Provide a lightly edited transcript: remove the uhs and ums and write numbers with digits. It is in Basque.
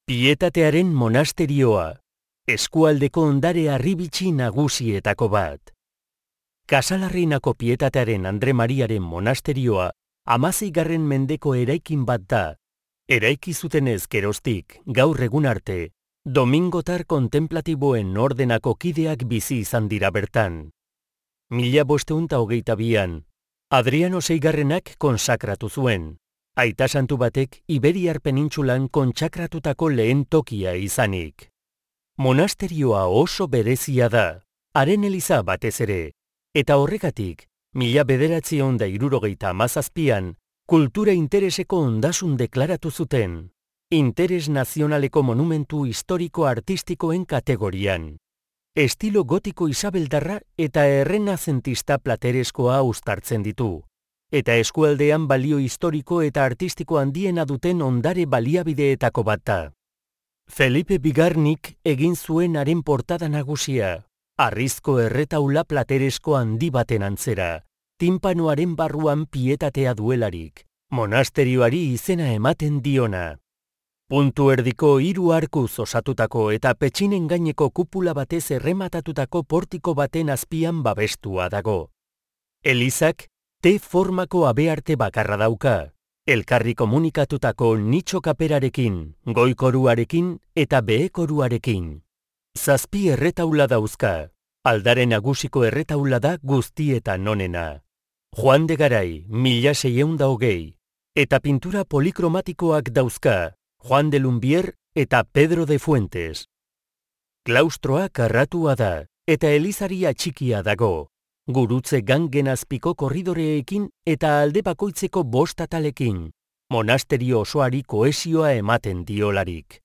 Pietatearen monasterioa, eskualdeko ondare harribitxi nagusietako bat. Kasalarreinako Pietatearen Andre Mariaren monasterioa 16. mendeko eraikin bat da. Eraiki zutenez geroztik, gaur egun arte, domingotar kontemplatiboen ordenako kideak bizi izan dira bertan. 1522an, Adriano Seigarrenak konsakratu zuen. Aita santu batek Iberiar penintsulan kontsakratutako lehen tokia izanik. Monasterioa oso berezia da, haren eliza batez ere, eta horregatik, 1977an, kultura intereseko ondasun deklaratu zuten, interes nazionaleko monumentu historiko-artistikoen kategorian. Estilo gotiko isabeldarra eta errenazentista platereskoa uztartzen ditu, eta eskualdean balio historiko eta artistiko handiena duten ondare baliabideetako bat da. Felipe Bigarnik egin zuen haren portada nagusia, harrizko erretaula plateresko handi baten antzera, tinpanoaren barruan pietatea duelarik, monasterioari izena ematen diona. Puntu erdiko 3 arkuz osatutako eta petxinen gaineko kupula batez errematatutako portiko baten azpian babestua dago. Elizak T-formako abearte bakarra dauka, elkarri komunikatutako nitxo kaperarekin, goi-koruarekin eta behe-koruarekin. 7 erretaula dauzka, aldare nagusiko erretaula da guztietan onena. Juan de Garay, 1620, eta pintura polikromatikoak dauzka, Juan de Lumbier eta Pedro de Fuentes. Klaustroa karratua da, eta elizari atxikia dago, gurutze gangen azpiko korridoreekin eta alde bakoitzeko 5 atalekin, monasterio osoari kohesioa ematen diolarik.